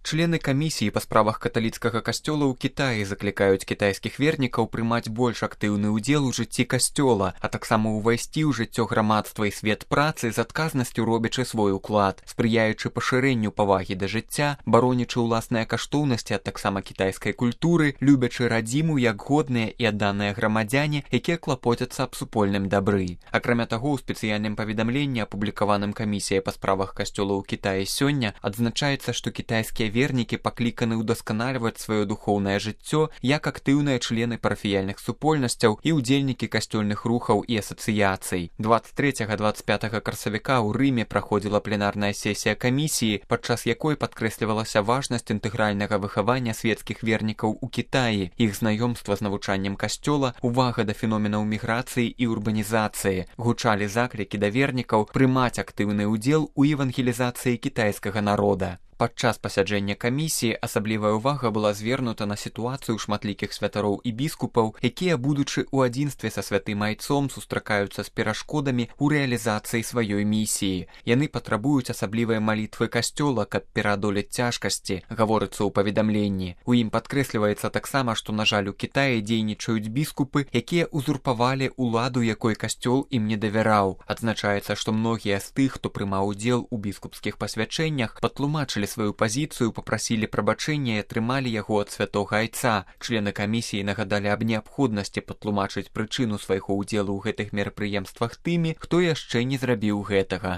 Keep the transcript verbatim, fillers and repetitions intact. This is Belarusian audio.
Члены камісіі па справах каталіцкага касцёла ў Кітаі заклікаюць кітайскіх вернікаў прымаць больш актыўны ўдзел у жыцці касцёла, а таксама ўвайсці ў жыццё грамадства і свет працы з адказнасцю робячы свой уклад, спрыяючы пашырэнню павагі да жыцця, баронячы ўласныя каштоўнасці, а таксама кітайскай культуры, любячы радзіму як годныя і адданыя грамадзяне, якія клапоцяцца аб супольным дабры. Акрамя таго, у спецыяльным паведамленні, апублікаваным камісіяй па справах касцёла ў Кітаі сёння, адзначаецца, што кітайскія вернікі пакліканы ўдасканальваць сваё духоўнае жыццё як актыўныя члены парафіяльных супольнасцяў і ўдзельнікі касцёльных рухаў і асацыяцый. дваццаць трэцяга - дваццаць пятага красавіка ў Рыме праходзіла пленарная сесія камісіі, падчас якой падкрэслівалася важнасць інтэгральнага выхавання свецкіх вернікаў у Кітаі, іх знаёмства з навучаннем касцёла, увага да феноменаў міграцыі і урбанізацыі. Гучалі заклікі да вернікаў прымаць актыўны ўдзел у евангелізацыі кітайскага народа. Падчас пасяджэння камісіі асаблівая ўвага была звернута на сітуацыю шматлікіх святароў і біскупаў, якія, будучы ў адзінстве са святым айцом, сустракаюцца з перашкодамі ў рэалізацыі сваёй місіі. Яны патрабуюць асаблівай малітвы касцёла, каб пераадолець цяжкасці, гаворыцца ў паведамленні. У ім падкрэсліваецца таксама, што, на жаль, у Кітаі дзейнічаюць біскупы, якія узурпавалі ўладу, якой касцёл ім не давяраў. Адзначаецца, што многія з тых, хто прымаў удзел у біскупскіх пасвячэннях, патлумачылі сваю пазіцыю, папрасілі прабачэння і атрымалі яго ад святога айца. Члены камісіі нагадалі аб неабходнасці патлумачыць прычыну свайго ўдзелу ў гэтых мерапрыемствах тымі, хто яшчэ не зрабіў гэтага.